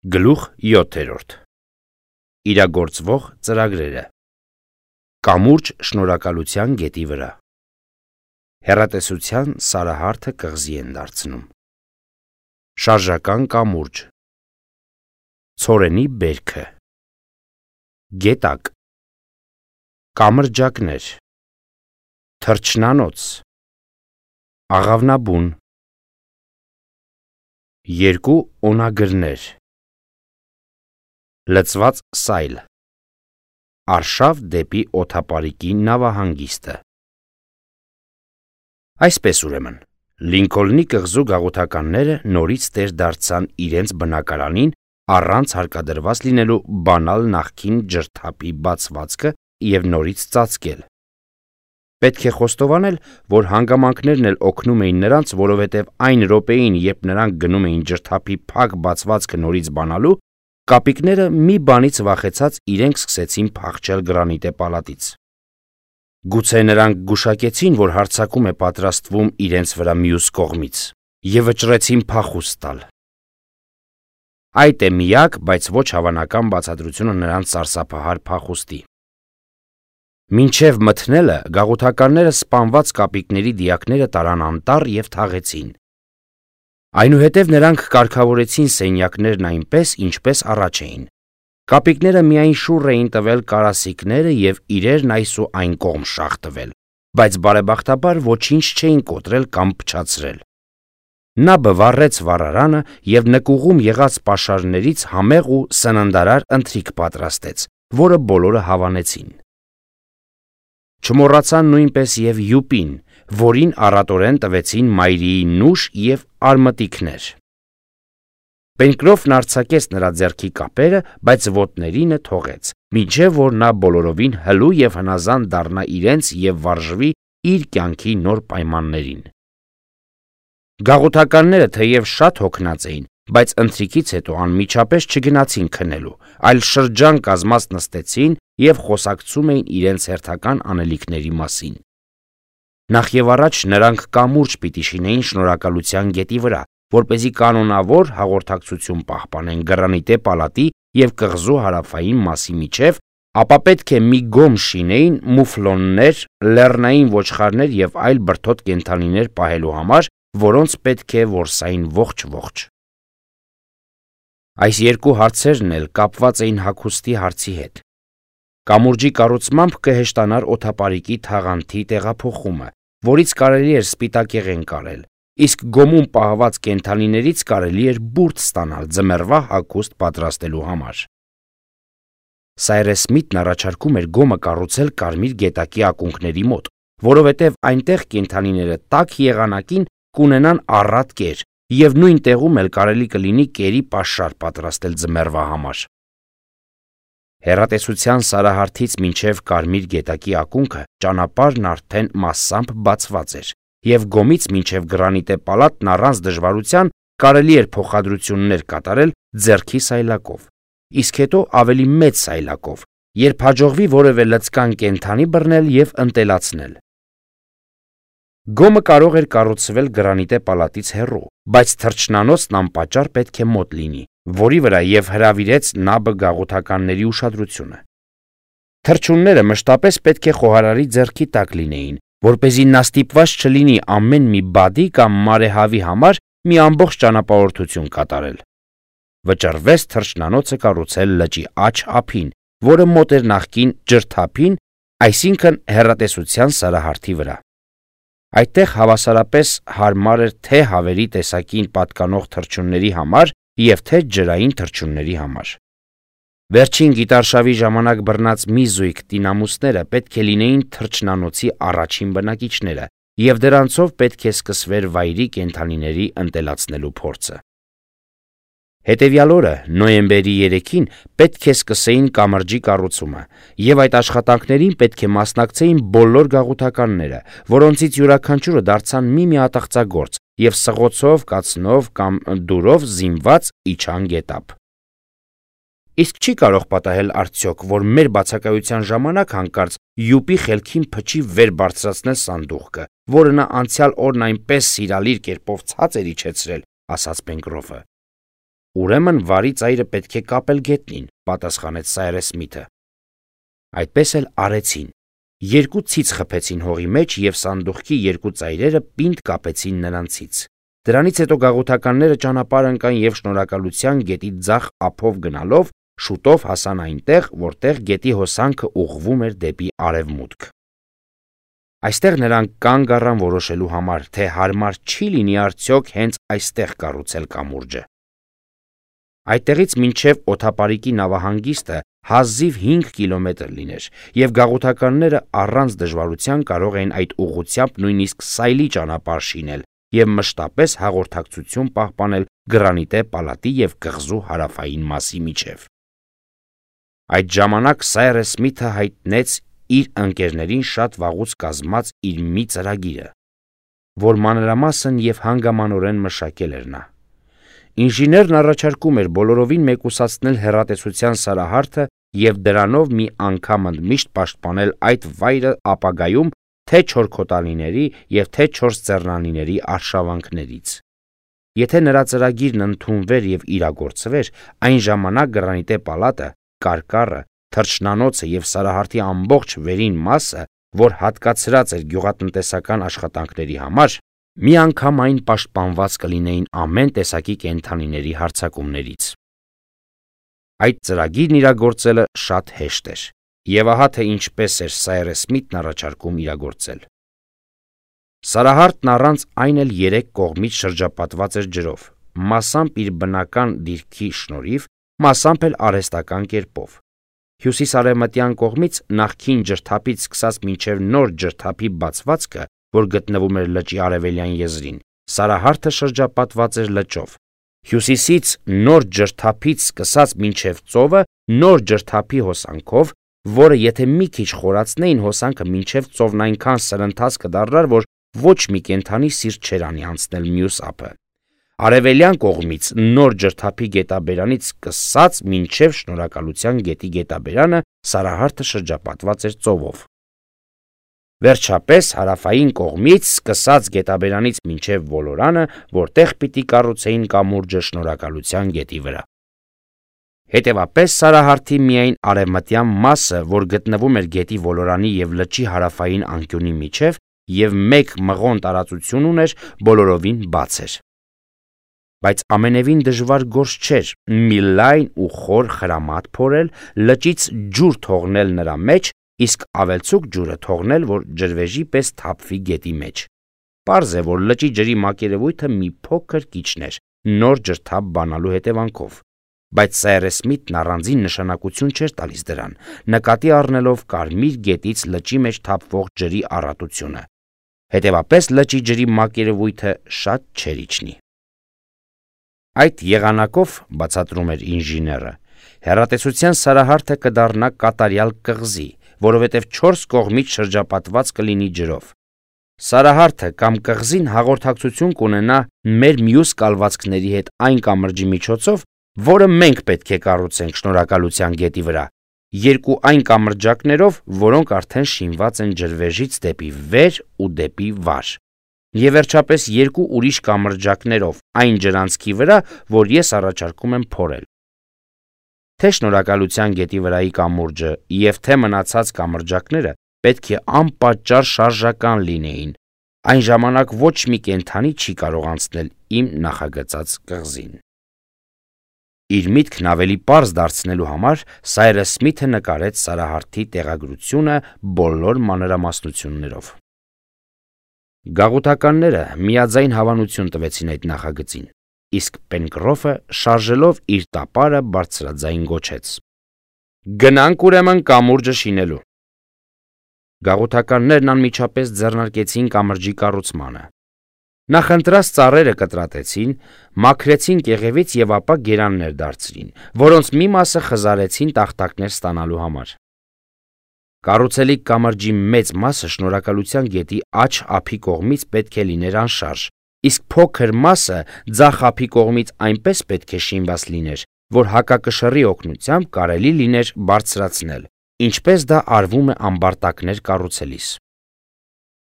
Գլուխ 7. Իրագործվող ծրագրերը։ Կամուրջ շնորհակալության գետի վրա։ Հեռատեսության սարահարթը կղզի են դարձնում։ Շարժական կամուրջ։ Ցորենի բերքը։ Գետակ։ Կամրջակներ։ Թռչնանոց։ Աղավնաբուն։ Երկու օնագրներ։ Լցված սայլ։ Արշավ դեպի օդապարիկի նավահանգիստը։ Այսպես ուրեմն, Լինքոլնի կղզու գաղութականները նորից տեր դարձան իրենց բնակարանին առանց հարկադրված լինելու բանալ նախկին ջրթափի բացվածքը և նորից ծածկել։ Պետք է խոստովանել, որ հանգամանքներն էլ օգնում էին նրանց, որովհետև այն րոպեին, երբ նրանք գնում էին ջրթափի փակ բացվածքը նորից բանալու, կապիկները մի բանից վախեցած իրենք սկսեցին փախչել գրանիտե պալատից։ Գուցե նրանք գուշակեցին, որ հարձակում է պատրաստվում իրենց վրա մյուս կողմից, և վճռեցին փախուստ տալ։ Այդ է միակ, բայց ոչ հավանական բացատրությունը նրանց սարսափահար փախուստի։ Մինչև մթնելը գաղութականները սպանված կապիկների դիակները տարան անտառ և թաղեցին։ Այնուհետև նրանք կարգավորեցին սենյակներն այնպես, ինչպես առաջ էին։ Կապիկները միայն շուռ էին տվել կարասիքները և իրերն այս ու այն կողմ շաղ տվել, բայց բարեբախտաբար ոչինչ չէին կոտրել կամ փչացրել։ Նաբը վառեց վառարանը և նկուղում եղած պաշարներից համեղ ու սննդարար ընթրիք պատրաստեց, որը բոլորը հավանեցին։ Չմոռացան նույնպես և յուպին, որին առատորեն տվեցին մայրիի նուշ և արմտիքներ։ Պենկրոֆն արձակեց նրա ձեռքի կապերը, բայց ոտներինը թողեց, մինչև որ նա բոլորովին հլու և հնազանդ դառնա իրենց և վարժվի իր կյանքի նոր պայմաններին։ Գաղութականները թեև շատ հոգնած էին, բայց ընթրիքից հետո անմիջապես չգնացին քնելու, այլ շրջան կազմած նստեցին և խոսակցում էին իրենց հերթական անելիքների մասին։ Նախևառաջ նրանք կամուրջ պիտի շինեին շնորհակալության գետի վրա, որպեսզի կանոնավոր հաղորդակցություն պահպանեն գրանիտե պալատի և կղզու հարավային մասի միջև, ապա պետք է մի գոմ շինեին մուֆլոններ, լեռնային ոչխարներ և այլ բրդոտ կենդանիներ պահելու համար, որոնց պետք է որսային ողջ։ Այս երկու հարցերն էլ կապված էին հագուստի հարցի հետ։ Կամուրջի կառուցմամբ կհեշտանար օդապարիկի թաղանթի տեղափոխումը, որից կարելի էր սպիտակեղեն կարել, իսկ գոմում պահված կենդանիներից կարելի էր բուրդ ստանալ ձմեռվա հագուստ պատրաստելու համար։ Սայրես Սմիթն առաջարկում էր գոմը կառուցել Կարմիր գետակի ակունքների մոտ, որովհետև այնտեղ կենդանիները տաք եղանակին կունենան առատ կեր, և նույն տեղում էլ կարելի կլինի կերի պաշար պատրաստել ձմեռվա համար։ Հեռատեսության սարահարթից մինչև Կարմիր գետակի ակունքը ճանապարհն արդեն մասամբ բացված էր, և գոմից մինչև գրանիտե պալատն առանց դժվարության կարելի էր փոխադրություններ կատարել ձեռքի սայլակով, իսկ հետո ավելի մեծ սայլակով, երբ հաջողվի որևէ լցկան կենդանի բռնել և ընտելացնել։ Գոմը կարող էր կառուցվել գրանիտե պալատից հեռու, բայց թռչնանոցն անպատճառ պետք է մոտ լինի, որի վրա և հրավիրեց Նաբը գաղութականների ուշադրությունը։ Թռչունները մշտապես պետք է խոհարարի ձեռքի տակ լինեին, որպեսզի նա ստիպված չլինի ամեն մի բադի կամ մարեհավի համար մի ամբողջ ճանապարհորդություն կատարել։ Վճռվեց թռչնանոցը կառուցել լճի աջ ափին, որը մոտ էր նախկին ջրթափին, այսինքն հեռատեսության սարահարթի վրա։ Այդտեղ հավասարապես հարմար էր թե հավերի տեսակին պատկանող թռչունների համար և թե ջրային թռչունների համար։ Վերջին գիտարշավի ժամանակ բռնած մի զույգ տինամուսները պետք է լինեին թռչնանոցի առաջին բնակիչները, և դրանցով պետք է սկսվեր վայրի կենդանիների ընտելացնելու փորձը։ Հետևյալ օրը, նոյեմբերի 3-ին, պետք է սկսեին կամրջի կառուցումը, և այդ աշխատանքներին պետք է մասնակցեին բոլոր գաղութականները, որոնցից յուրաքանչյուրը դարձան մի ատաղծագործ և սղոցով, կացնով կամ դուրով զինված իջան գետափ։ Իսկ չի կարող պատահել արդյոք, որ մեր բացակայության ժամանակ հանկարծ յուպի խելքին փչի վեր բարձրացնել սանդուղքը, որը նա անցյալ օրն այնպես սիրալիր կերպով ցած էր իջեցրել, ասաց Պենկրոֆը։ Ուրեմն վարի ծայրը պետք է կապել գետնին, պատասխանեց Սայրես Սմիթը։ Այդպես էլ արեցին։ Երկու ցից խփեցին հողի մեջ և սանդուղքի երկու ծայրերը պինդ կապեցին նրանցից։ Դրանից հետո գաղութականները ճանապարհ ընկան և Շնորհակալության գետի ձախ ափով գնալով շուտով հասան այնտեղ, որտեղ գետի հոսանքը ուղղվում էր դեպի արևմուտք։ Այստեղ նրանք կանգ առան որոշելու համար, թե հարմար չի լինի արդյոք հենց այստեղ կառուցել կամուրջը։ Այդտեղից մինչև օդապարիկի նավահանգիստը հազիվ 5 կիլոմետր լիներ, և գաղութականները առանց դժվարության կարող էին այդ ուղղությամբ նույնիսկ սայլի ճանապարհ շինել և մշտապես հաղորդակցություն պահպանել Գրանիտե պալատի և կղզու հարավային մասի միջև։ Այդ ժամանակ Սայրես Սմիթը հայտնեց իր ընկերներին շատ վաղուց կազմած իր մի ծրագիրը, որ մանրամասն և հանգամանորեն մշակել էր նա։ Ինժեներն առաջարկում էր բոլորովին մեկուսացնել հեռատեսության սարահարթը և դրանով մի անգամ ընդմիշտ պաշտպանել այդ վայրը ապագայում թե չորքոտանիների և թե չորսձեռնանիների արշավանքներից։ Եթե նրա ծրագիրն ընդունվեր և իրագործվեր, այն ժամանակ Գրանիտե պալատը, կարկառը, թռչնանոցը և սարահարթի ամբողջ վերին մասը, որ հատկացրած էր գյուղատնտեսական աշխատանքների համար, միանգամայն պաշտպանված կլինեին ամեն տեսակի կենդանիների հարձակումներից։ Այդ ծրագիրն իրագործելը շատ հեշտ էր, և ահա թե ինչպես էր Սայրես Սմիթն առաջարկում իրագործել։ Սարահարթն առանց այն էլ 3 կողմից շրջապատված էր ջրով, մասամբ իր բնական դիրքի շնորհիվ, մասամբ էլ արհեստական կերպով։ Հյուսիս-արևմտյան կողմից նախկին ջրթափից սկսած մինչև նոր ջրթափի բացվածքը, որ գտնվում էր լճի արևելյան եզրին, սարահարթը շրջապատված էր լճով։ Հյուսիսից նոր ջրթափից սկսած մինչև ծովը նոր ջրթափի հոսանքով, որը եթե մի քիչ խորացնեին, հոսանքը մինչև ծովն այնքան սրընթաց կդառնար, որ ոչ մի կենդանի սիրտ չէր անի անցնել մյուս ափը։ Արևելյան կողմից նոր ջրթափի գետաբերանից սկսած մինչև Շնորհակալության գետի գետաբերանը սարահարթը շրջապատված էր ծովով։ Վերջապես հարավային կողմից սկսած գետաբերանից մինչև ոլորանը, որտեղ պիտի կառուցեին կամուրջը Շնորհակալության գետի վրա։ Հետևապես սարահարթի միայն արևմտյան մասը, որ գտնվում էր գետի ոլորանի և լճի հարավային անկյունի միջև և 1 մղոն տարածություն ուներ, բոլորովին բաց էր։ Բայց ամենևին դժվար գործ չէր մի լայն ու խոր խրամատ փորել, լճից ջուր թողնել նրա մեջ, իսկ ավելցուկ ջուրը թողնել, որ ջրվեժի պես թափվի գետի մեջ։ Պարզ է, որ լճի ջրի մակերևույթը մի փոքր կիչներ նոր ջրթափ բանալու հետևանքով, բայց Սայրես Սմիթն առանձին նշանակություն չէր տալիս դրան, նկատի առնելով Կարմիր գետից լճի մեջ թափվող ջրի առատությունը։ Հետևապես լճի ջրի մակերևույթը շատ չէր իջնի։ Այդ եղանակով, բացատրում էր ինժեները, հեռատեսության սարահարթը կդառնա կատարյալ կղզի, որովհետև 4 կողմից շրջապատված կլինի ջրով։ Սարահարթը կամ կղզին հաղորդակցություն կունենա մեր մյուս կալվածքների հետ այն կամրջի միջոցով, որը մենք պետք է կառուցենք Շնորհակալության գետի վրա, 2 այն կամրջակներով, որոնք արդեն շինված են ջրվեժից դեպի վեր ու դեպի վար, և վերջապես 2 ուրիշ կամրջակներով այն ջրանցքի վրա, որ ես առաջարկում եմ փորել։ Թե Շնորհակալության գետի վրայի կամուրջը և թե մնացած կամրջակները պետք է անպատճառ շարժական լինեին, այն ժամանակ ոչ մի կենդանի չի կարող անցնել իմ նախագծած կղզին։ Իր միտքն ավելի պարզ դարձնելու համար Սայրես Սմիթը նկարեց սարահարթի տեղագրությունը բոլոր մանրամասնություններով։ Գաղութականները միաձայն հավանություն տվեցին այդ նախագծին, իսկ Պենկրոֆը շարժելով իր տապարը բարձրաձայն գոչեց. «Գնանք ուրեմն կամուրջը շինելու»։ Գաղութականներն անմիջապես ձեռնարկեցին կամրջի կառուցմանը։ Նախընտրած ծառերը կտրատեցին, մաքրեցին կեղևից և ապա գերաններ դարձրին, որոնց մի մասը խզարեցին տախտակներ ստանալու համար։ Կառուցելիք կամրջի մեծ մասը Շնորհակալության գետի աջ ափի կողմից պետք է լիներ անշարժ, իսկ փոքր մասը ձախ ափի կողմից այնպես պետք է շինված լիներ, որ հակակշռի օգնությամբ կարելի լիներ բարձրացնել, ինչպես դա արվում է ամբարտակներ կառուցելիս։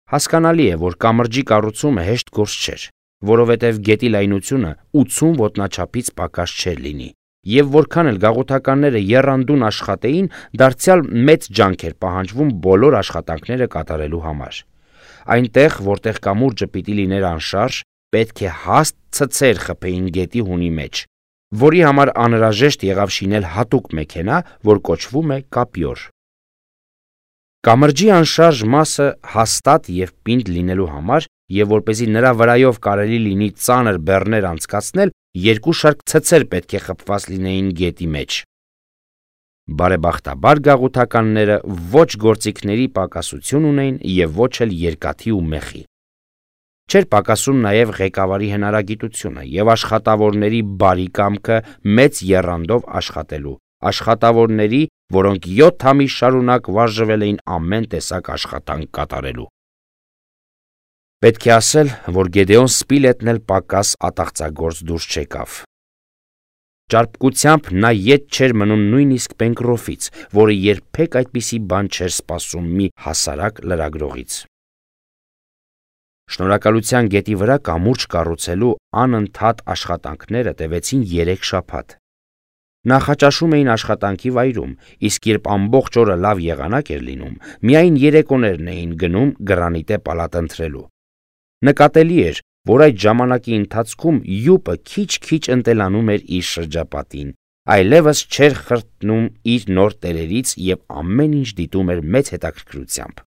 Հասկանալի է, որ կամրջի կառուցումը հեշտ գործ չէր, որովհետև գետի լայնությունը 80 ոտնաչափից պակաս չէր լինի, եւ որքան էլ գաղութականները եռանդուն աշխատեին, դարձյալ մեծ ջանք էր պահանջվում բոլոր աշխատանքները կատարելու համար։ Այնտեղ, որտեղ կամուրջը պիտի լիներ անշարժ, պետք է հաստ ցցեր խփեին գետի հունի մեջ, որի համար անհրաժեշտ եղավ շինել հատուկ մեքենա, որ կոչվում է կապյոր։ Կամրջի անշարժ մասը հաստատ եւ պինդ լինելու համար եւ որպեսզի նրա վրայով կարելի լինի ծանր բեռներ անցկացնել, երկու շարք ցցեր պետք է խփված լինեին գետի մեջ։ Բարեբախտաբար գաղութականները ոչ գործիքների պակասություն ունեին եւ ոչ էլ երկաթի ու մեխի։ Չէր պակասում նաեւ ղեկավարի հնարագիտությունը եւ աշխատավորների բարի կամքը մեծ եռանդով աշխատելու, աշխատավորների, որոնք 7 ամիս շարունակ վարժվել էին ամեն տեսակ աշխատանք կատարելու։ Պետք է ասել, որ Գեդեոն Սպիլետն էլ պակաս ատաղծագործ դուրս չեկավ։ Ճարպկությամբ նա ետ չէր մնում նույնիսկ Պենկրոֆից, որը երբեք այդպիսի բան չէր սպասում մի հասարակ լրագրողից։ Շնորհակալության գետի վրա կամուրջ կառուցելու անընդհատ աշխատանքները տևեցին 3 շաբաթ։ Նախաճաշում էին աշխատանքի վայրում, իսկ երբ ամբողջ օրը լավ եղանակ էր լինում, միայն երեկոներն էին գնում գրանիտե պալատ ընթրելու։ Նկատելի էր, որ այդ ժամանակի ընթացքում յուպը քիչ-քիչ ընտելանում էր իր շրջապատին, այլևս չէր խրտնում իր նոր տերերից եւ ամեն ինչ դիտում էր մեծ հետաքրքրությամբ։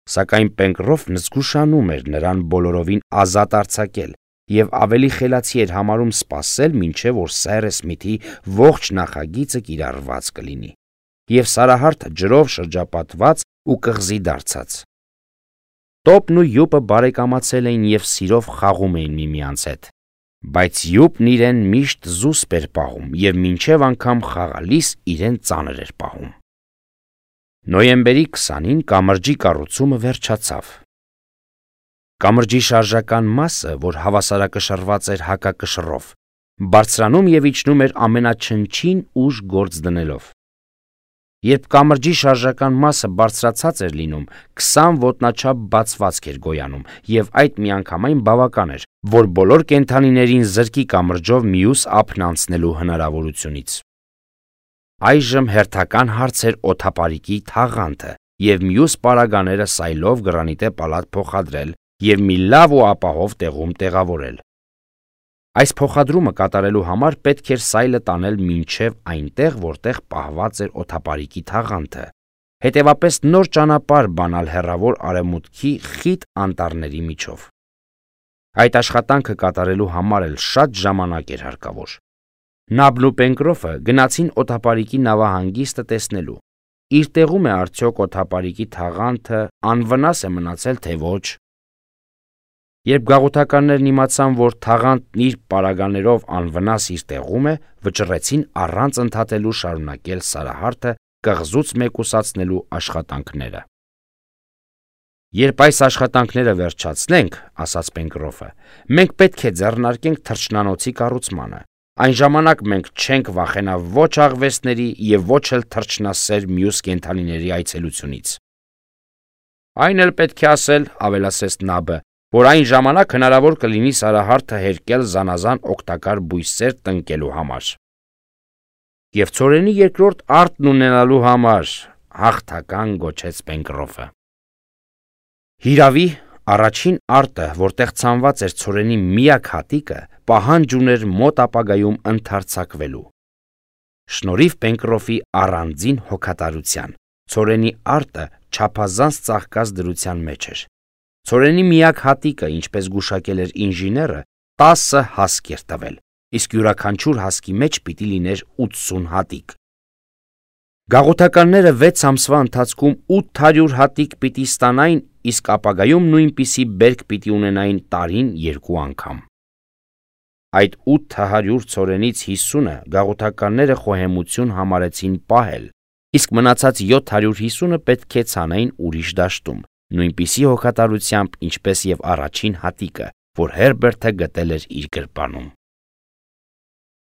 Սակայն Պենկրոֆն զգուշանում էր նրան բոլորովին ազատ արձակել եւ ավելի խելացի էր համարում սպասել, մինչեւ որ Սայրը Սմիթի ողջ նախագիծը կիրառված կլինի եւ Սարահարթը ջրով շրջապատված ու կղզի դարձած։ Տոպն ու յուպը բարեկամացել էին եւ սիրով խաղում էին միմյանց հետ, բայց յուպն իրեն միշտ զուսպ էր պահում եւ մինչեւ անգամ խաղալիս իրեն ծանր էր պահում։ Նոյեմբերի 20-ին կամրջի կառուցումը վերջացավ։ Կամրջի շարժական մասը, որ հավասարակշռված էր հակակշռով, բարձրանում եւ իջնում էր ամենաչնչին ուժ գործ դնելով։ Երբ կամրջի շարժական մասը բարձրացած էր լինում, 20 ոտնաչափ բացվածք էր գոյանում եւ այդ միանգամայն բավական էր, որ բոլոր կենդանիներին զրկի կամրջով մյուս ափն անցնելու հնարավորությունից։ Այժմ հերթական հարց էր օդապարիկի թաղանթը եւ մյուս պարագաները սայլով գրանիտե պալատ փոխադրել եւ մի լավ ու ապահով տեղում տեղավորել։ Այս փոխադրումը կատարելու համար պետք էր սայլը տանել մինչև այնտեղ, որտեղ պահված էր օդապարիկի թաղանթը, հետևապես նոր ճանապարհ բանալ հեռավոր արևմուտքի խիտ անտառների միջով։ Այդ աշխատանքը կատարելու համար էլ շատ ժամանակ էր հարկավոր։ Նաբն ու Պենկրոֆը գնացին օդապարիկի նավահանգիստը տեսնելու, իր տեղում է արդյոք օդապարիկի թաղանթը անվնաս է մնացել, թե ոչ։ Երբ գաղութականներն իմացան, որ թաղանթն իր պարագաներով անվնաս իր տեղում է, վճռեցին առանց ընդհատելու շարունակել Սարահարթը կղզուց մեկուսացնելու աշխատանքները։ Երբ այս աշխատանքները վերջացնենք, ասաց Պենկրոֆը, մենք պետք է ձեռնարկենք թռչնանոցի կառուցմանը։ Այն ժամանակ մենք չենք վախենա ոչ աղվեսների եւ ոչ էլ թռչնասեր մյուս կենդանիների այցելությունից։ Այն էլ պետք է ասել, ավելացրեց Նաբը, որ այն ժամանակ հնարավոր կլինի Սարահարթը հերկել զանազան օգտակար բույսեր տնկելու համար։ Եվ ծորենի երկրորդ արտն ունենալու համար, հաղթական գոչեց Պենկրոֆը։ Հիրավի, առաջին արտը, որտեղ ցանված էր ծորենի միակ հատիկը, պահանջ ուներ մոտ ապագայում ընդարձակվելու։ Շնորհիվ Պենկրոֆի առանձին հոգատարության, ծորենի արտը չափազանց ծաղկած դրության մեջ էր։ Ծորենի միակ հատիկը, ինչպես գուշակել էր ինժեները, 10 հասկ էր տվել, իսկ յուրաքանչյուր հասկի մեջ պիտի լիներ 80 հատիկ։ Գաղութականները 6 ամսվա ընթացքում 800 հատիկ պիտի ստանային, իսկ ապագայում նույնպիսի բերք պիտի ունենային տարին 2 անգամ։ Այդ 800 ծորենից 50-ը գաղութականները խոհեմություն համարեցին պահել, իսկ մնացած 750-ը պետք է ցանային ուրիշ դաշտում, նույնպիսի հոգատարությամբ, ինչպես եւ առաջին հատիկը, որ Հերբերտը գտել էր իր գրպանում։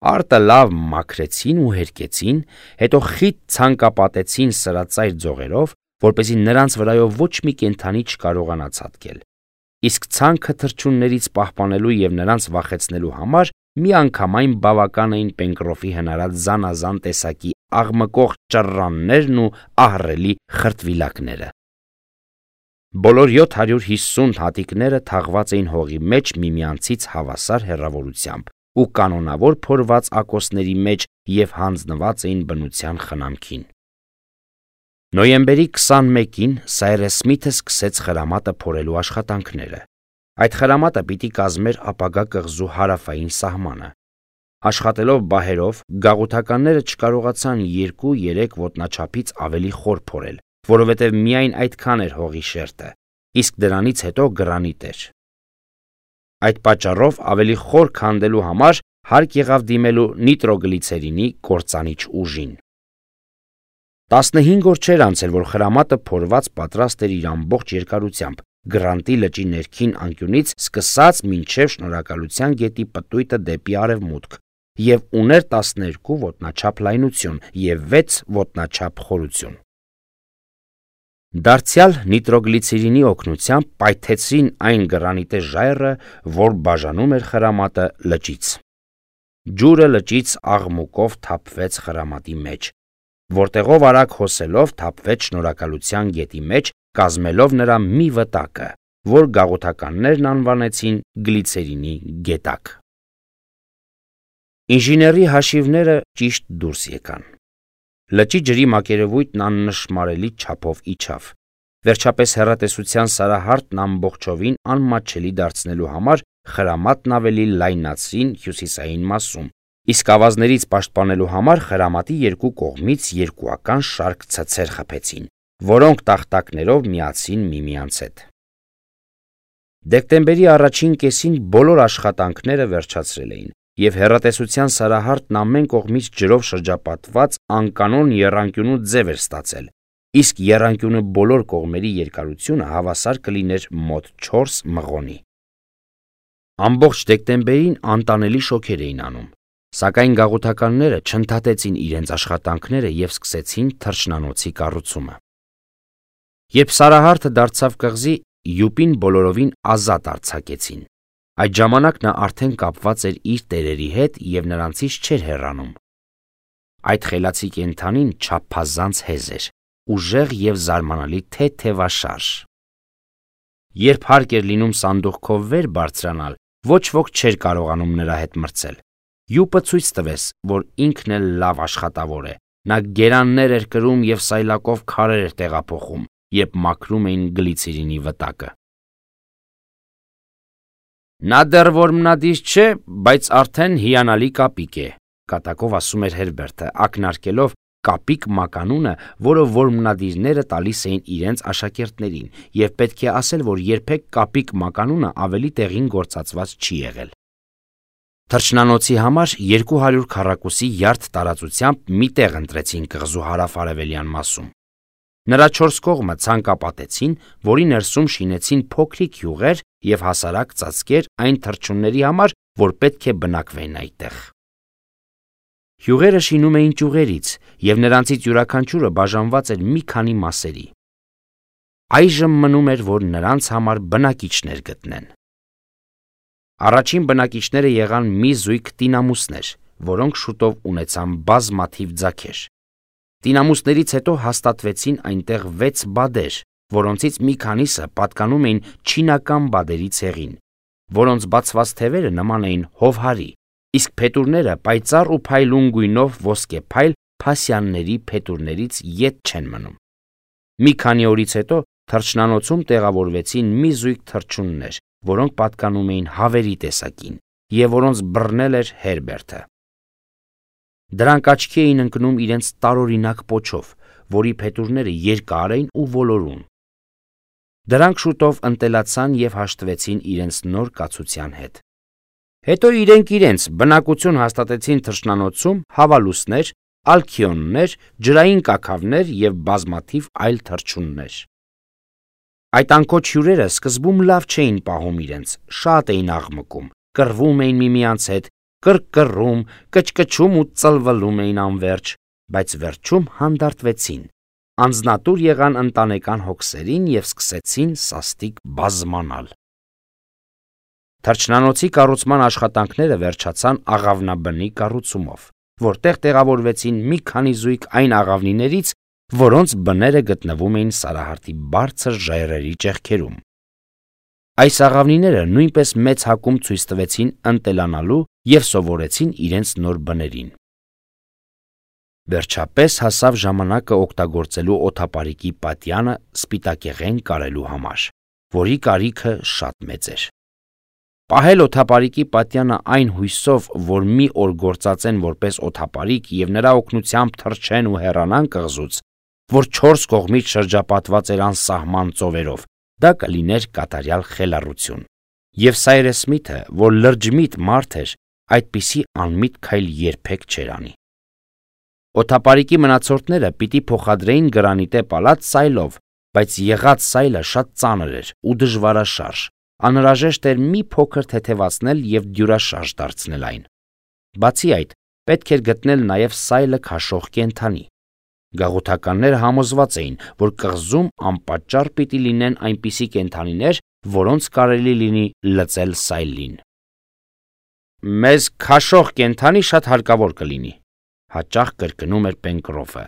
Արտը լավ մաքրեցին ու հերկեցին, հետո խիտ ցանկապատեցին սրածայր ձողերով, որպեսզի նրանց վրայով ոչ մի կենդանի չկարողանա ցատկել։ իսկ ցանքը թռչուններից պահպանելու եւ նրանց վախեցնելու համար միանգամայն բավական էին Պենկրոֆի հնարած զանազան տեսակի աղմկող ճռռաններն ու ահռելի խրտվիլակները։ Բոլոր 750 հատիկները թաղված էին հողի մեջ միմյանցից հավասար հեռավորությամբ ու կանոնավոր փորված ակոսների մեջ եւ հանձնված էին բնության խնամքին։ Նոյեմբերի 21-ին Սայրես Սմիթը սկսեց խրամատը փորելու աշխատանքները։ Այդ խրամատը պիտի կազմեր ապագա կղզու հարավային սահմանը։ Աշխատելով բահերով, գաղութականները չկարողացան 2-3 ոտնաչափից ավելի խոր փորել, որովհետև միայն այդքան էր հողի շերտը, իսկ դրանից հետո գրանիտ էր։ Այդ պատճառով ավելի խոր քանդելու համար հարկ եղավ դիմելու նիտրոգլիցերինի կործանիչ ուժին։ 15 օր չէր անցել, որ խրամատը փորված պատրաստ էր իր ամբողջ երկարությամբ, Գրանտի լճի ներքին անկյունից սկսած մինչև Շնորհակալության գետի պտույտը դեպի արևմուտք և ուներ 12 ոտնաչափ լայնություն և 6 ոտնաչափ խորություն։ Դարձյալ նիտրոգլիցերինի օգնությամբ պայթեցրին այն գրանիտե ժայռը, որ բաժանում էր խրամատը լճից։ Ջուրը լճից աղմուկով թափվեց խրամատի մեջ, որտեղով արագ հոսելով թափվեց Շնորհակալության գետի մեջ, կազմելով նրա մի վտակը, որ գաղութականներն անվանեցին գլիցերինի գետակ։ Ինժեների հաշիվները ճիշտ դուրս եկան։ Լճի ջրի մակերևույթն աննշմարելի չափով իջավ։ Վերջապես հեռատեսության սարահարթն ամբողջովին անմատչելի դարձնելու համար խրամատն ավելի լայնացրին հյուսիսային մասում, իսկ ավազներից պաշտպանելու համար խրամատի երկու կողմից երկուական շարք ցցեր խփեցին, որոնք տախտակներով միացրին միմյանց հետ։ Դեկտեմբերի առաջին կեսին բոլոր աշխատանքները վերջացրել էին, և հեռատեսության սարահարթն ամեն կողմից ջրով շրջապատված անկանոն եռանկյունու ձև էր ստացել, իսկ եռանկյունը բոլոր կողմերի երկարությունը հավասար կլիներ մոտ 4 մղոնի։ Ամբողջ դեկտեմբերին անտանելի շոգեր էին անում, սակայն գաղութականները չընդհատեցին իրենց աշխատանքները և սկսեցին թռչնանոցի կառուցումը։ Երբ սարահարթը դարձավ կղզի, յուպին բոլորովին ազատ արձակեցին։ Այդ ժամանակ նա արդեն կապված էր իր տերերի հետ և նրանցից չէր հեռանում։ Այդ խելացի կենդանին չափազանց հեզ էր, ուժեղ և զարմանալի թեթևաշարժ։ Երբ հարկ էր լինում սանդուղքով վեր բարձրանալ, ոչ ոք չէր կարողանում նրա հետ մրցել։ Յուպը ցույց տվեց, որ ինքն էլ լավ աշխատավոր է։ Նա գերաններ էր կրում և սայլակով քարեր էր տեղափոխում, երբ մաքրում էին գլիցերինի վտակը։ Նա դեռ որմնադիր չէ, բայց արդեն հիանալի կապիկ է, կատակով ասում էր Հերբերտը, ակնարկելով կապիկ մականունը, որը որմնադիրները տալիս էին իրենց աշակերտներին, և պետք է ասել, որ երբեք կապիկ մականունը ավելի տեղին գործածված չի եղել։ Թռչնանոցի համար 200 քառակուսի յարդ տարածությամբ մի տեղ ընտրեցին կղզու հարավ-արևելյան մասում։ Նրա 4 կողմը ցանկապատեցին, որի ներսում շինեցին փոքրիկ յուղեր և հասարակ ծածկեր այն թռչունների համար, որ պետք է բնակվեն այդտեղ։ Յուղերը շինում էին ճյուղերից, և նրանցից յուրաքանչյուրը բաժանված էր մի քանի մասերի։ Այժմ մնում էր, որ նրանց համար բնակիչներ գտնեն։ Առաջին բնակիչները եղան մի զույգ տինամուսներ, որոնք շուտով ունեցան բազմաթիվ ձագեր։ Տինամուսներից հետո հաստատվեցին այնտեղ 6 բադեր, որոնցից մի քանիսը պատկանում էին չինական բադերի ցեղին, որոնց բացված թևերը նման էին հովհարի, իսկ փետուրները պայծառ ու փայլուն գույնով ոսկեփայլ փասյանների փետուրներից ետ չեն մնում։ Մի քանի օրից հետո թռչնանոցում տեղավորվեցին մի զույգ թռչուններ, որոնք պատկանում էին հավերի տեսակին, և որոնց բռնել էր Հերբերտը։ Դրանք աչքի էին ընկնում իրենց տարօրինակ պոչով, որի փետուրները երկար էին ու ոլորուն։ Դրանք շուտով ընտելացան և հաշտվեցին իրենց նոր կացության հետ։ Հետո իրենք բնակություն հաստատեցին թռչնանոցում հավալուսներ, ալքիոններ, ջրային կաքավներ և բազմաթիվ այլ թռչուններ։ Այդ անքոչ հյուրերը սկզբում լավ չէին պահում իրենց, շատ էին աղմկում, կռվում էին միմյանց հետ, կռկռում, կչկչում ու ծլվլում էին անվերջ, բայց վերջում հանդարտվեցին, անձնատուր եղան ընտանեկան հոգսերին և սկսեցին սաստիկ բազմանալ։ Թռչնանոցի կառուցման աշխատանքները վերջացան աղավնաբնի կառուցումով, որտեղ տեղավորվեցին մի քանի զույգ այն աղավնիներից, որոնց բները գտնվում էին Սարահարթի բարձր ժայռերի ճեղքերում։ Այս աղավնիները նույնպես մեծ հակում ցույց տվեցին ընտելանալու և սովորեցին իրենց նոր բներին։ Վերջապես հասավ ժամանակը օգտագործելու օդապարիկի պատյանը սպիտակեղեն կարելու համար, որի կարիքը շատ մեծ էր։ Պահել օդապարիկի պատյանը այն հույսով, որ մի օր գործածեն որպես օդապարիկ և նրա օգնությամբ թռչեն ու հեռանան կղզուց, որ 4 կողմից շրջապատված էր անսահման ծովերով, դա կլիներ կատարյալ խելառություն։ Եվ Սայրես Սմիթը, որ լրջմիտ մարդ էր, այդպիսի անմիտ քայլ երբեք չէր անի։ Օդապարիկի մնացորդները պիտի փոխադրեին գրանիտե պալատ սայլով, բայց եղած սայլը շատ ծանր էր ու դժվարաշարժ, անհրաժեշտ էր մի փոքր թեթևացնել և դյուրաշարժ դարձնել այն։ Բացի այդ, պետք էր գտնել նաև սայլը քաշող կենդանի։ Գաղութականները համոզված էին, որ կղզում անպատճառ պիտի լինեն այնպիսի կենդանիներ, որոնց կարելի լինի լծել սայլին։ «Մեզ քաշող կենդանի շատ հարկավոր կլինի», հաճախ կրկնում էր Պենկրոֆը,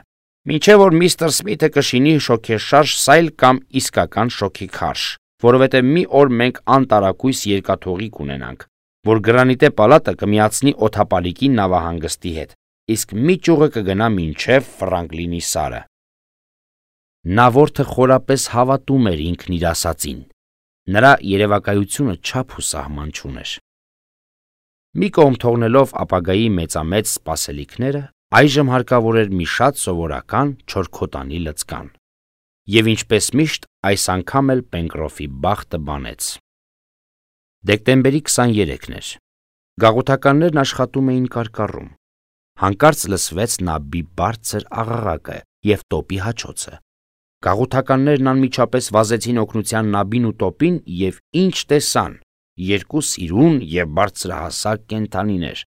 «մինչև որ միստր Սմիթը կշինի շոգեշարժ սայլ կամ իսկական շոգեքարշ, որովհետև մի օր մենք անտարակույս երկաթուղի կունենանք, որ գրանիտե պալատը կմիացնի օդապարիկի նավահանգստի հետ, իսկ մի ճյուղը կգնա մինչև Ֆրանկլինի սարը»։ Նավորդը խորապես հավատում էր ինքն իր ասածին։ Նրա երևակայությունը չափ ու սահման չուներ։ Մի կողմ թողնելով ապագայի մեծամեծ սպասելիքները, այժմ հարկավոր էր մի շատ սովորական չորքոտանի լծկան։ Եվ ինչպես միշտ, այս անգամ էլ Պենկրոֆի բախտը բանեց։ Դեկտեմբերի 23-ն էր։ Գաղութականներն աշխատում էին կարկառում։ Հանկարծ լսվեց նաբի բարձր աղաղակը և տոպի հաչոցը։ Գաղութականներն անմիջապես վազեցին օգնության նաբին ու տոպին և ինչ տեսան՝ երկու սիրուն և բարձրահասակ կենդանիներ,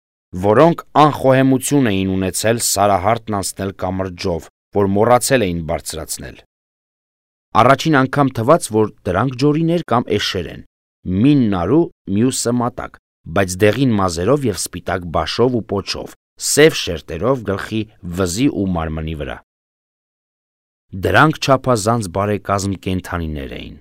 որոնք անխոհեմություն էին ունեցել Սարահարթն անցնել կամրջով, որ մոռացել էին բարձրացնել։ Առաջին անգամ թվաց, որ դրանք ջորիներ կամ էշեր են, մինն նարու, մյուսը մատակ, բայց դեղին մազերով և սպիտակ բաշով ու պոչով, սև շերտերով գլխի, վզի ու մարմնի վրա։ Դրանք չափազանց բարեկազմ կենդանիներ էին։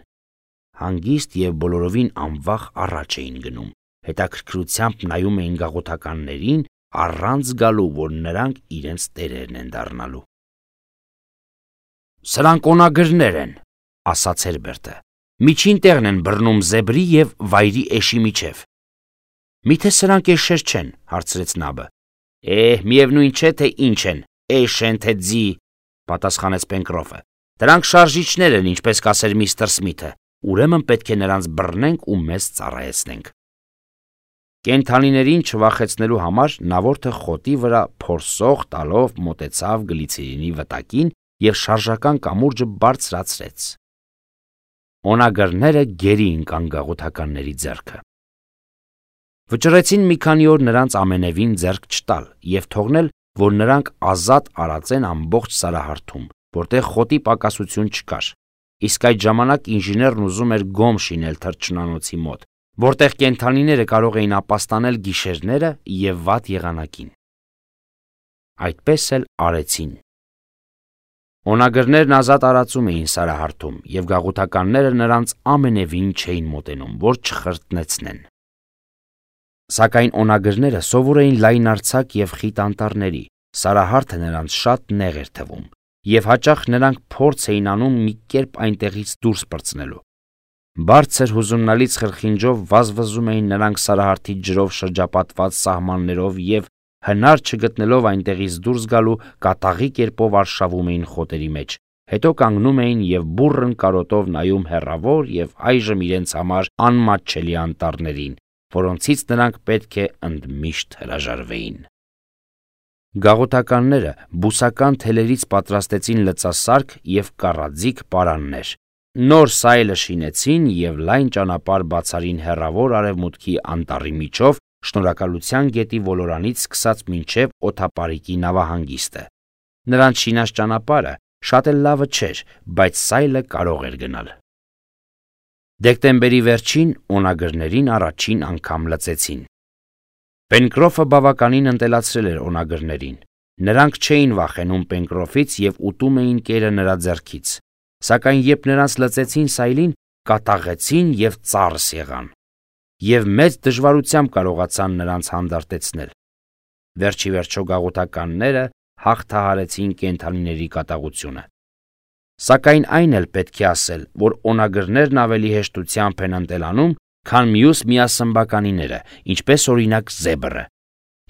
Հանգիստ և բոլորովին անվախ առաջ էին գնում, հետաքրքրությամբ նայում էին գաղութականներին, առանց զգալու, որ նրանք իրենց տերերն են դառնալու։ «Սրանք օնագրներ են», ասաց Հերբերտը, «միջին տեղն են բռնում զեբրի և վայրի էշի միջև»։ «Միթե սրանք էշեր չեն», հարցրեց նաբը։ Միևնույն չէ, թե ինչ են, էշ են, թե ձի, պատասխանեց Պենկրոֆը։ Դրանք շարժիչներ են, ինչպես կասեր միստր Սմիթը, ուրեմն պետք է նրանց բռնենք ու մեզ ծառայեցնենք։ Կենդանիներին չվախեցնելու համար նավորդը խոտի վրա փորսող տալով մոտեցավ գլիցերինի վտակին և շարժական կամուրջը բարձրացրեց։ Օնագրները գերի ընկան գաղութականների ձեռքը։ Վճռեցին մի քանի օր նրանց ամենևին ձեռք չտալ և թողնել, որ նրանք ազատ արածեն ամբողջ Սարահարթում, որտեղ խոտի պակասություն չկար, իսկ այդ ժամանակ ինժեներն ուզում էր գոմ շինել թռչնանոցի մոտ, որտեղ կենդանիները կարող էին ապաստանել գիշերները և վատ եղանակին։ Այդպես էլ արեցին։ Օնագրներն ազատ արածում էին Սարահարթում, և գաղութականները նրանց ամենևին չէին մոտենում, որ չխրտնեցնեն։ Սակայն օնագրները սովոր էին լայնարձակ և խիտ անտառների, Սարահարթը նրանց շատ նեղ էր թվում, և հաճախ նրանք փորձ էին անում մի կերպ այնտեղից դուրս պրծնելու։ Բարձր հուզումնալից խրխինջով վազվզում էին նրանք Սարահարթի ջրով շրջապատված սահմաններով և, հնար չգտնելով այնտեղից դուրս գալու, կատաղի կերպով արշավում էին խոտերի մեջ, հետո կանգնում էին և բուռն կարոտով նայում հեռավոր և այժմ իրենց համար անմատչելի անտառներին, որոնցից նրանք պետք է ընդմիշտ հրաժարվեին։ Գաղութականները բուսական թելերից պատրաստեցին լծասարք և կառաձիգ պարաններ, նոր սայլը շինեցին և լայն ճանապարհ բացարին հեռավոր արևմուտքի անտառի միջով, Շնորհակալության գետի ոլորանից սկսած մինչև օդապարիկի նավահանգիստը։ Նրանց շինած ճանապարհը շատ էլ լավը չէր, բայց սայլը կարող էր գնալ։ Դեկտեմբերի վերջին օնագրներին առաջին անգամ լծեցին։ Պենկրոֆը բավականին ընտելացրել էր օնագրներին։ Նրանք չէին վախենում Պենկրոֆից և ուտում էին կերը նրա ձեռքից, սակայն երբ նրանց լծեցին սայլին, կատաղեցին և ծարս եղան, և մեծ դժվարությամբ կարողացան նրանց հանդարտեցնել։ Վերջի վերջո գաղութականները հաղթահարեցին կենդանիների կատաղությունը։ Սակայն այն էլ պետք է ասել, որ օնագրներն ավելի հեշտությամբ են ընտելանում, քան մյուս միասմբականիները, ինչպես օրինակ զեբրը։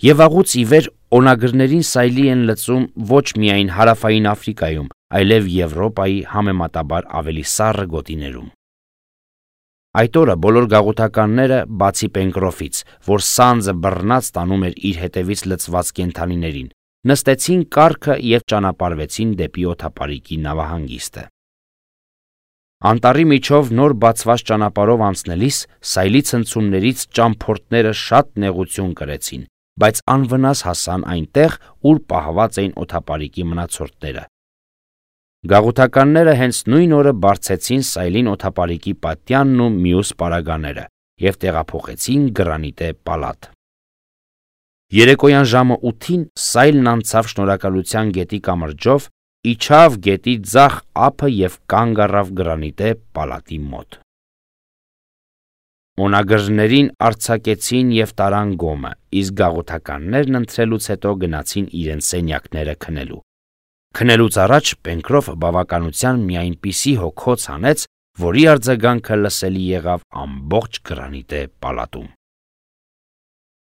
Եվ վաղուց ի վեր օնագրներին սայլի են լծում ոչ միայն հարավային Աֆրիկայում, այլև Եվրոպայի համեմատաբար ավելի սառը գոտիներում։ Այդ օրը բոլոր գաղութականները, բացի Պենկրոֆից, որ սանձը բռնած տանում էր իր հետևից լծված կենդանիներին, նստեցին կառքը և ճանապարհվեցին դեպի օդապարիկի նավահանգիստը։ Անտառի միջով նոր բացված ճանապարհով անցնելիս սայլի ցնցումներից ճամփորդները շատ նեղություն կրեցին, բայց անվնաս հասան այնտեղ, ուր պահված էին օդապարիկի մնացորդները։ Գաղութականները հենց նույն օրը բարձեցին սայլին օդապարիկի պատյանն ու մյուս պարագաները և տեղափոխեցին Գրանիտե պալատ։ Երեկոյան ժամը 8-ին սայլն անցավ Շնորհակալության գետի կամրջով, իջավ գետի ձախ ափը և կանգ առավ Գրանիտե պալատի մոտ։ Օնագրներին արձակեցին և տարան գոմը, իսկ գաղութականներն ընթրելուց հետո գնացին իրենց սենյակները քնելու։ Քնելուց առաջ Պենկրոֆը բավականության մի այնպիսի հոգոց հանեց, որի արձագանքը լսելի եղավ ամբողջ Գրանիտե պալատում։